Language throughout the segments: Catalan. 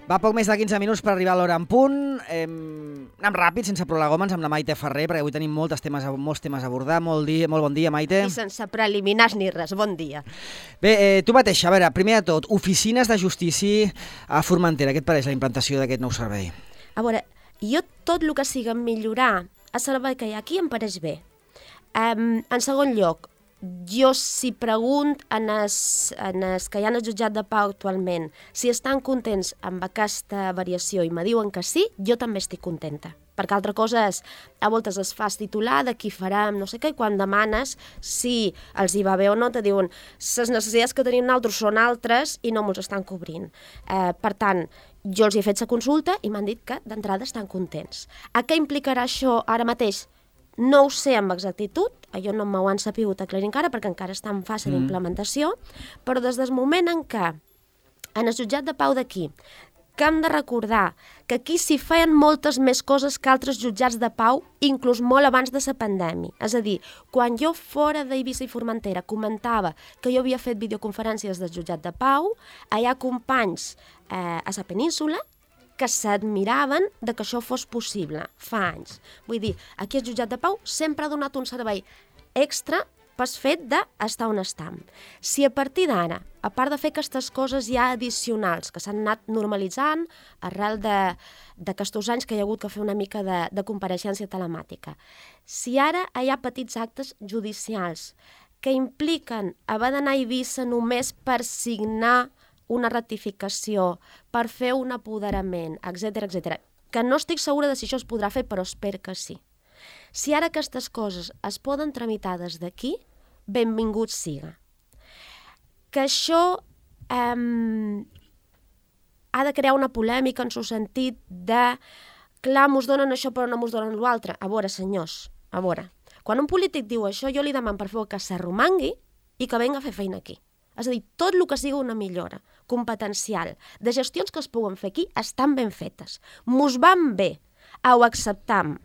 Va poc més de 15 minuts per arribar a l'hora en punt. Anem ràpid, sense prolegòmens, amb la Maite Ferrer, perquè avui tenim molts temes a abordar. Molt bon dia, Maite. I sense preliminars ni res. Bon dia. Bé, tu mateixa, a veure, primer de tot, oficines de justícia a Formentera. Què et pareix la implantació d'aquest nou servei? A veure, jo tot el que sigui millorar el servei que hi ha aquí em pareix bé. En segon lloc, jo si pregunt en els que hi ha al jutjat de pau actualment si estan contents amb aquesta variació i me diuen que sí, jo també estic contenta. Perquè altra cosa és, a voltes es fas titular de qui farem, no sé què, i quan demanes si els hi va bé o no, te diuen les necessitats que tenim nosaltres són altres i no ens estan cobrint. Per tant, jo els he fet la consulta i m'han dit que d'entrada estan contents. A què implicarà això ara mateix? No ho sé amb exactitud, allò no m'ho han sabut aclarir encara perquè encara està en fase d'implementació, però des del moment en què en el jutjat de pau d'aquí, que hem de recordar que aquí s'hi feien moltes més coses que altres jutjats de pau, inclús molt abans de la pandèmia. És a dir, quan jo fora d'Eivissa i Formentera comentava que jo havia fet videoconferències del jutjat de pau, hi ha companys a la península que s'admiraven de que això fos possible fa anys. Vull dir, aquí el jutjat de pau sempre ha donat un servei extra pel fet d'estar on estam. Si a partir d'ara, a part de fer aquestes coses ja addicionals que s'han anat normalitzant arrel d'aquests anys que hi ha hagut que fer una mica de compareixença telemàtica, si ara hi ha petits actes judicials que impliquen haver d'anar a Eivissa només per signar una ratificació, per fer un apoderament, etc., que no estic segura de si això es podrà fer, però espero que sí. Si ara aquestes coses es poden tramitar des d'aquí, benvingut siga. Que això ha de crear una polèmica en el sentit de clar, mos donen això però no mos donen l'altre. A veure, senyors, a veure, quan un polític diu això, jo li demano per favor que s'arromangui i que venga a fer feina aquí. És a dir, tot el que sigui una millora competencial de gestions que es puguen fer aquí estan ben fetes. Mos van bé, ho acceptam.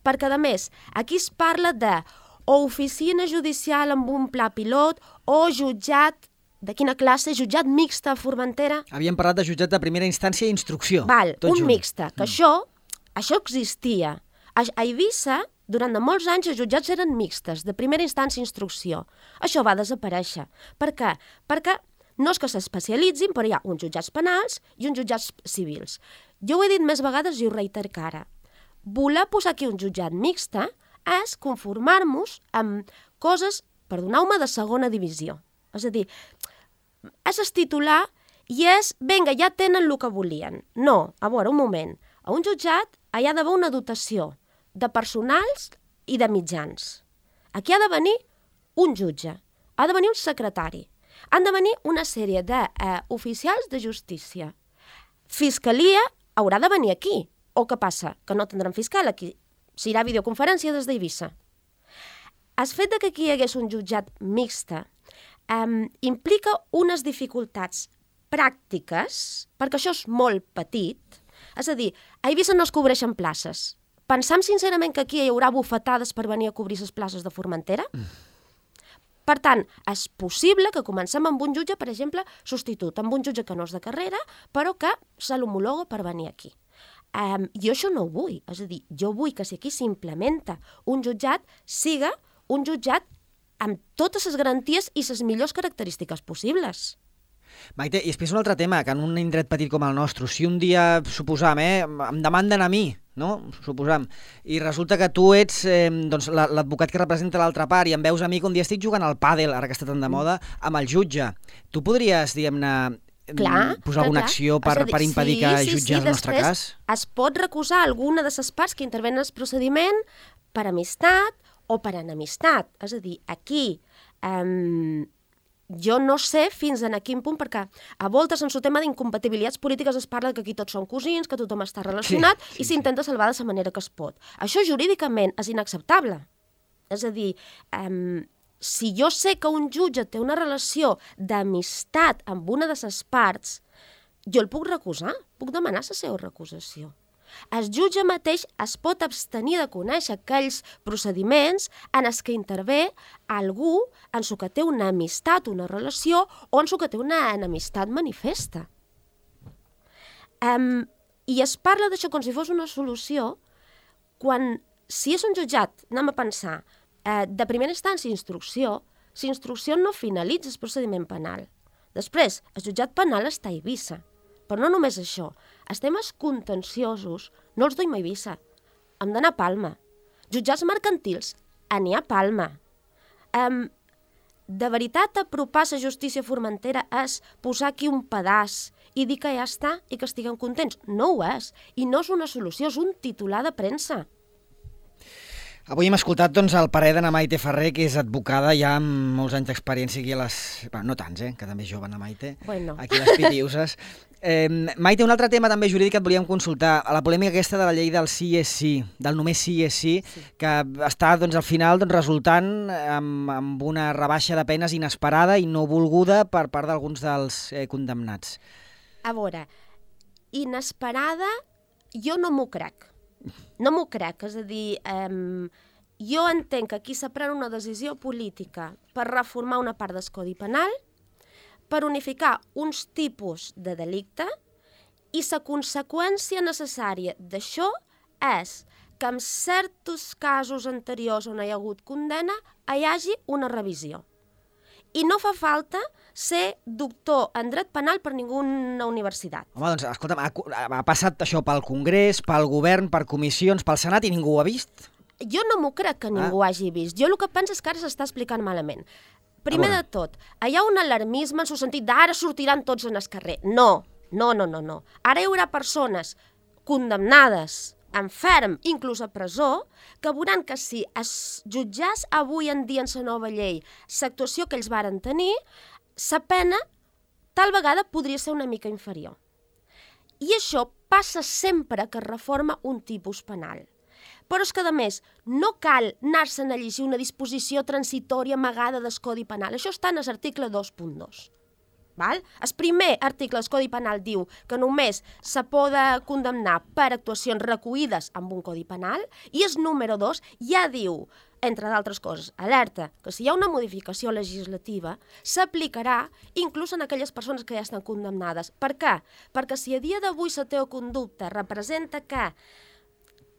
Perquè, a més, aquí es parla de o oficina judicial amb un pla pilot o jutjat, de quina classe? Jutjat mixta a Formentera? Havíem parlat de jutjat de primera instància i instrucció. Val, un mixta, que això existia. A Eivissa, durant molts anys, els jutjats eren mixtes, de primera instància i instrucció. Això va desaparèixer. Per què? Perquè no és que s'especialitzin, però hi ha uns jutjats penals i uns jutjats civils. Jo ho he dit més vegades i ho reiterc ara. Voler posar aquí un jutjat mixta és conformar-nos amb coses, perdoneu-me, de segona divisió. És a dir, és el titular i és, vinga, ja tenen el que volien. No, a veure, un moment. A un jutjat hi ha d'haver una dotació de personals i de mitjans. Aquí ha de venir un jutge, ha de venir un secretari, han de venir una sèrie d'oficials de justícia. Fiscalia haurà de venir aquí. O què passa? Que no tindrem fiscal aquí. Serà videoconferència des d'Eivissa. El fet que aquí hi hagués un jutjat mixta implica unes dificultats pràctiques, perquè això és molt petit. És a dir, a Eivissa no es cobreixen places. Pensam sincerament que aquí hi haurà bufetades per venir a cobrir les places de Formentera? Per tant, és possible que comencem amb un jutge, per exemple, substitut, amb un jutge que no és de carrera, però que se l'homologa per venir aquí. Jo això no ho vull, és a dir, jo vull que si aquí s'implementa un jutjat, siga un jutjat amb totes les garanties i les millors característiques possibles. Maite, i després un altre tema, que en un indret petit com el nostre, si un dia, suposam, em demanden a mi, no? Suposam, i resulta que tu ets l'advocat que representa l'altra part i em veus a mi que un dia estic jugant al pàdel, ara que està tan de moda, amb el jutge. Tu podries, diguem-ne, posar alguna acció per impedir que jutges el nostre cas? Es pot recusar alguna de les parts que intervenen en el procediment per amistat o per enemistat. És a dir, aquí jo no sé fins a quin punt, perquè a voltes en el tema d'incompatibilitats polítiques es parla que aquí tots són cosins, que tothom està relacionat i s'intenta salvar de la manera que es pot. Això jurídicament és inacceptable. És a dir, si jo sé que un jutge té una relació d'amistat amb una de les parts, jo el puc recusar, puc demanar la seva recusació. El jutge mateix es pot abstenir de conèixer aquells procediments en els que intervé algú en el que té una amistat, una relació, o en el que té una enemistat manifesta. I es parla d'això com si fos una solució quan, si és un jutjat, anem a pensar, de primera instància instrucció, si instrucció no finalitza el procediment penal. Després, el jutjat penal està a Eivissa. Però no només això, els temes contenciosos no els duim a Eivissa, hem d'anar a Palma. Jutjats mercantils, n'hi ha a Palma. De veritat, apropar la justícia formentera és posar aquí un pedaç i dir que ja està i que estiguem contents. No ho és, i no és una solució, és un titular de premsa. Avui hem escoltat el parer d'Anna Maite Ferrer, que és advocada ja amb molts anys d'experiència aquí a les... no tants, que també és jove, Anna Maite, aquí a les Pitiuses. Maite, un altre tema també jurídic que et volíem consultar, la polèmica aquesta de la llei del sí és sí, del només sí és sí, que està al final resultant amb una rebaixa de penes inesperada i no volguda per part d'alguns dels condemnats. A veure, inesperada jo no m'ho crec. No m'ho crec, és a dir, jo entenc que aquí s'ha pres una decisió política per reformar una part del Codi Penal, per unificar uns tipus de delicte, i la conseqüència necessària d'això és que en certs casos anteriors on hi ha hagut condemna hi hagi una revisió. I no fa falta ser doctor en dret penal per ninguna universitat. Home, doncs, escolta'm, ha passat això pel Congrés, pel govern, per comissions, pel Senat i ningú ho ha vist? Jo no m'ho crec que ningú ho hagi vist. Jo el que penso és que ara s'està explicant malament. Primer de tot, hi ha un alarmisme en el sentit d'ara sortiran tots en el carrer. No. Ara hi haurà persones condemnades enferm, inclús a presó, que veuran que si es jutjàs avui en dia en la nova llei l'actuació que ells varen tenir, la pena tal vegada podria ser una mica inferior. I això passa sempre que es reforma un tipus penal. Però és que, a més, no cal anar-se'n a llegir una disposició transitòria amagada del Codi Penal. Això està en l'article 2.2. El primer article del Codi Penal diu que només se pot condemnar per actuacions recollides amb un Codi Penal, i el número 2 ja diu, entre d'altres coses, alerta que si hi ha una modificació legislativa s'aplicarà inclús en aquelles persones que ja estan condemnades. Per què? Perquè si a dia d'avui la teva conducta representa que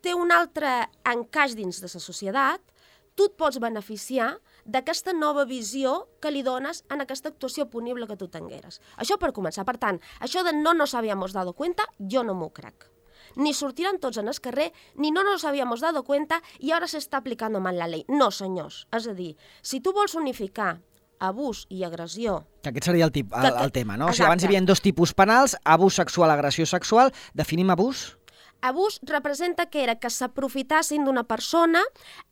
té un altre encaix dins de la societat, tu et pots beneficiar d'aquesta nova visió que li dones en aquesta actuació punible que tu tingueres. Això per començar. Per tant, això de no nos habíamos dado cuenta, jo no m'ho crec. Ni sortiran tots en el carrer, ni no nos habíamos dado cuenta i ara s'està aplicant mal la llei. No, senyors. És a dir, si tu vols unificar abús i agressió... Que aquest seria el tema, no? O sigui, abans hi havia dos tipus penals, abús sexual, agressió sexual. Definim abús? Abús representa que era que s'aprofitassin d'una persona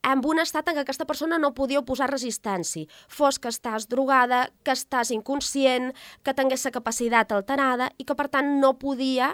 en un estat en què aquesta persona no podia oposar resistència. Fos que estàs drogada, que estàs inconscient, que tingués la capacitat alterada i que, per tant, no podia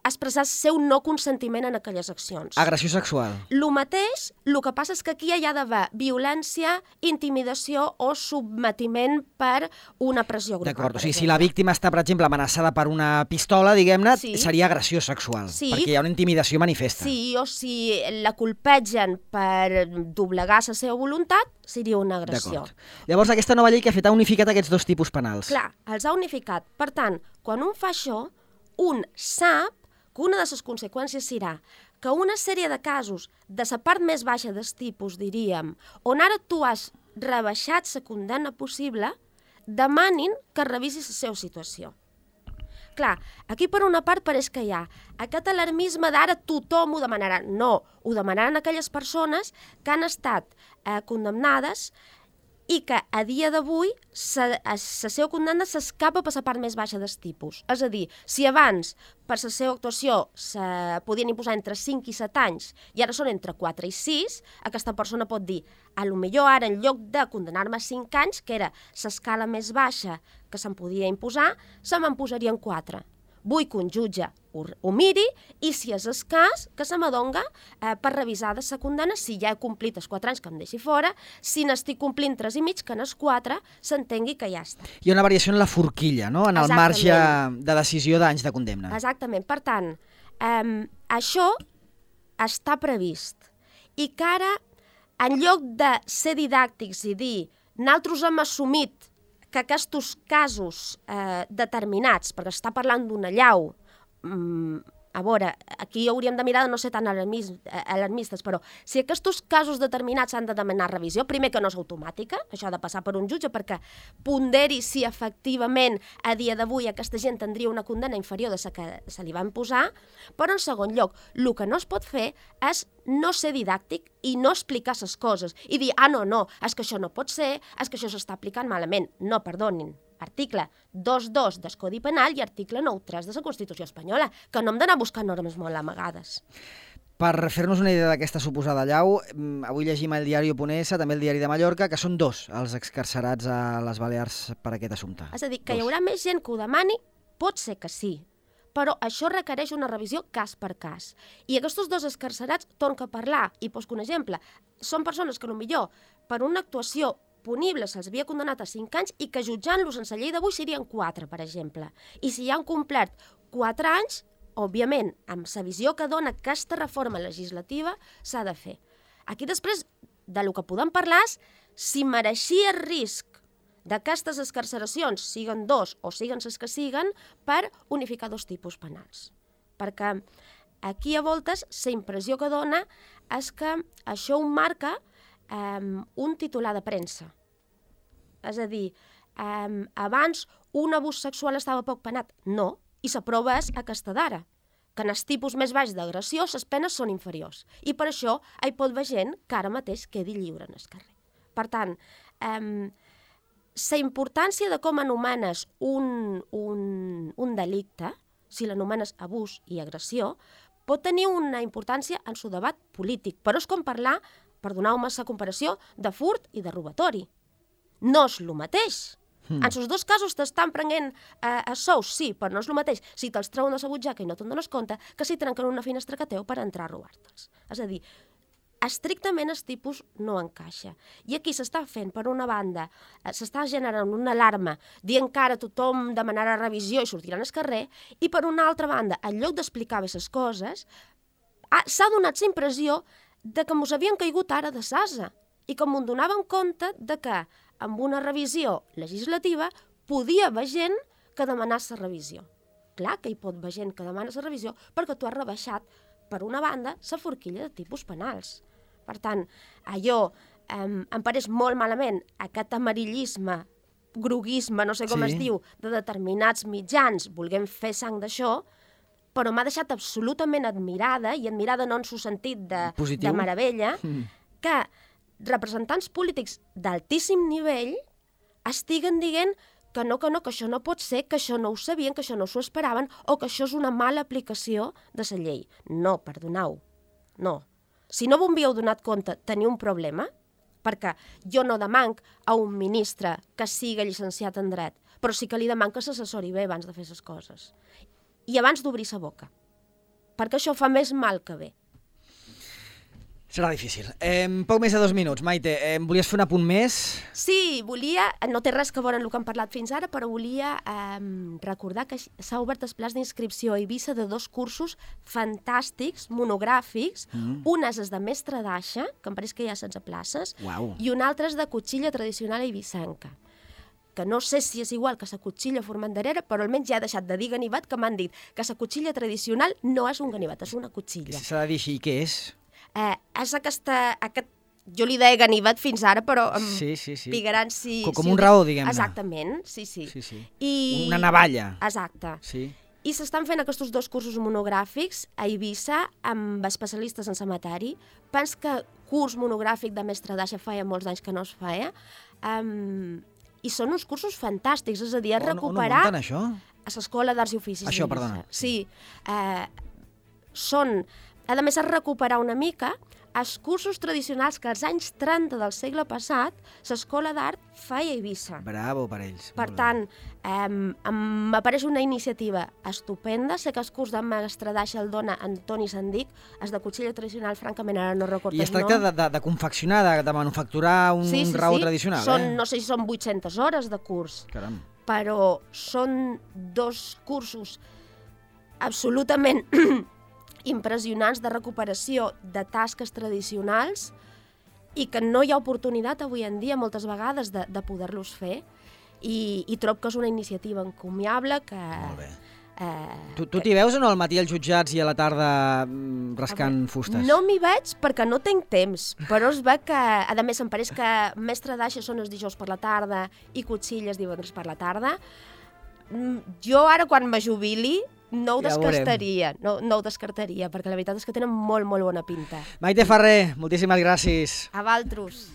expressar el seu no consentiment en aquelles accions. Agressió sexual. Lo mateix, el que passa és que aquí hi ha d'haver violència, intimidació o submetiment per una pressió grupal. D'acord, o sigui, si la víctima està, per exemple, amenaçada per una pistola, diguem-ne, seria agressió sexual, perquè hi ha una intimidació manifesta. Sí, o si la colpegen per doblegar la seva voluntat, seria una agressió. Llavors, aquesta nova llei que ha fet ha unificat aquests dos tipus penals. Clar, els ha unificat. Per tant, quan un fa això, un sap que una de les conseqüències serà que una sèrie de casos de la part més baixa del tipus, diríem, on ara tu has rebaixat la condemna possible, demanin que revisis la seva situació. Clar, aquí per una part pareix que hi ha aquest alarmisme d'ara tothom ho demanarà. No, ho demanaran aquelles persones que han estat condemnades i que a dia d'avui la seva condemna s'escapa per la part més baixa del tipus. És a dir, si abans per la seva actuació se podien imposar entre 5 i 7 anys i ara són entre 4 i 6, aquesta persona pot dir, a lo millor ara en lloc de condemnar-me a 5 anys, que era l'escala més baixa que se'm podia imposar, se me'n posarien 4. Vull que un jutge ho miri i, si és el cas, que se m'adonga per revisar de la condemna si ja he complit els 4 anys que em deixi fora, si n'estic complint 3 i mig, que en els 4 s'entengui que ja està. Hi ha una variació en la forquilla, no? En el marge de decisió d'anys de condemna. Exactament. Per tant, això està previst. I que ara, en lloc de ser didàctics i dir nosaltres hem assumit que aquests casos determinats, perquè està parlant d'una allau a veure, aquí hauríem de mirar de no ser tan alarmistes, però si aquests casos determinats s'han de demanar revisió, primer que no és automàtica, això ha de passar per un jutge perquè ponderi si efectivament a dia d'avui aquesta gent tindria una condemna inferior de la que se li van posar, però en segon lloc, el que no es pot fer és no ser didàctic i no explicar les coses i dir, no, és que això no pot ser, és que això s'està aplicant malament. No, perdonin. Article 2.2 del Codi Penal i article 9.3 de la Constitució espanyola, que no hem d'anar buscant normes molt amagades. Per fer-nos una idea d'aquesta suposada allau, avui llegim el diari.es, també el diari de Mallorca, que són 2 els excarcerats a les Balears per aquest assumpte. És a dir, que hi haurà més gent que ho demani, pot ser que sí, però això requereix una revisió cas per cas. I aquests 2 excarcerats, torno a parlar, i poso un exemple, són persones que potser per una actuació punible se'ls havia condemnat a 5 anys i que jutjant-los en la llei d'avui serien 4, per exemple. I si ja han complert 4 anys, òbviament, amb la visió que dona aquesta reforma legislativa, s'ha de fer. Aquí després, del que podem parlar és si mereixia el risc d'aquestes excarceracions, siguen 2 o siguen les que siguen, per unificar 2 tipus penals. Perquè aquí a voltes la impressió que dona és que això ho marca un titular de premsa. És a dir, abans un abús sexual estava poc penat. No, i la prova és aquesta d'ara, que en els tipus més baix d'agressió les penes són inferiors. I per això hi pot haver gent que ara mateix quedi lliure en el carrer. Per tant, la importància de com anomenes un delicte, si l'anomenes abús i agressió, pot tenir una importància en el debat polític, però és com parlar, perdoneu-me la comparació, de furt i de robatori. No és el mateix. En els 2 casos t'estan prenent sous, sí, però no és el mateix si te'ls treuen de la butxaca i no te'n dones compte que si trenquen una finestra que teu per entrar a robar-te'ls. És a dir, estrictament el tipus no encaixa. I aquí s'està fent, per una banda, s'està generant una alarma dient que ara tothom demanarà revisió i sortiran al carrer, i per una altra banda, en lloc d'explicar bé les coses, s'ha donat la impressió de que mos havien caigut ara de sasa i que m'ho donaven compte de que amb una revisió legislativa podia haver gent que demanés la revisió. Clar que hi pot haver gent que demana la revisió perquè tu has rebaixat, per una banda, la forquilla de tipus penals. Per tant, allò em pareix molt malament aquest amarillisme, groguisme, no sé com es diu, de determinats mitjans, volguem fer sang d'això, però m'ha deixat absolutament admirada, i admirada no en el sentit de meravella, que representants polítics d'altíssim nivell estiguen dient que no, que això no pot ser, que això no ho sabien, que això no s'ho esperaven, o que això és una mala aplicació de la llei. No, perdoneu, no. Si no vos havíeu donat compte, teniu un problema, perquè jo no demanc a un ministre que siga llicenciat en dret, però sí que li demanc que s'assessori bé abans de fer les coses. I abans d'obrir la boca, perquè això fa més mal que bé. Serà difícil. Poc més de 2 minuts. Maite, volies fer un apunt més? Sí, volia, no té res que veure amb el que hem parlat fins ara, però volia recordar que s'ha obert el plaç d'inscripció a Eivissa de 2 cursos fantàstics, monogràfics. Un és el de mestre d'aixa, que em pareix que hi ha 16 places, i un altre és de cotxilla tradicional eivissenca, que no sé si és igual que la cotxilla formenderera, però almenys ja he deixat de dir ganivet, que m'han dit que la cotxilla tradicional no és un ganivet, és una cotxilla. S'ha de dir així, què és? És aquest, jo li deia ganivet fins ara, però sí. pigaran si... Com un raó, diguem-ne. Exactament, sí. Una navalla. Exacte. Sí. I s'estan fent aquests 2 cursos monogràfics a Eivissa amb especialistes en samatari. Pens que curs monogràfic de mestre d'aixa feia molts anys que no es feia. I són uns cursos fantàstics, és a dir, recuperar... On munten això? A l'Escola d'Arts i Oficis. Això, perdona. Sí. Són... A més, és recuperar una mica els cursos tradicionals que als anys 30 del segle passat l'Escola d'Art feia a Eivissa. Bravo per ells. Per tant, m'apareix una iniciativa estupenda. Sé que el curs de mestre d'aixa el dona Antoni Sandic, és de cotxilla tradicional, francament ara no recordo el nom. I es tracta de confeccionar, de manufacturar un raó tradicional. No sé si són 800 hores de curs. Caram. Però són 2 cursos absolutament impressionants de recuperació de tasques tradicionals i que no hi ha oportunitat avui en dia moltes vegades de poder-los fer i trobo que és una iniciativa encomiable que Tu t'hi veus o no al matí als jutjats i a la tarda rascant fustes? No m'hi veig perquè no tinc temps, però es ve que, a més, em pareix que mestre d'aixa són els dijous per la tarda i cotxilles divendres per la tarda. Jo ara, quan me jubili, no ho descartaria, no ho descartaria, perquè la veritat és que tenen molt, molt bona pinta. Maite Ferrer, moltíssimes gràcies. A valtros.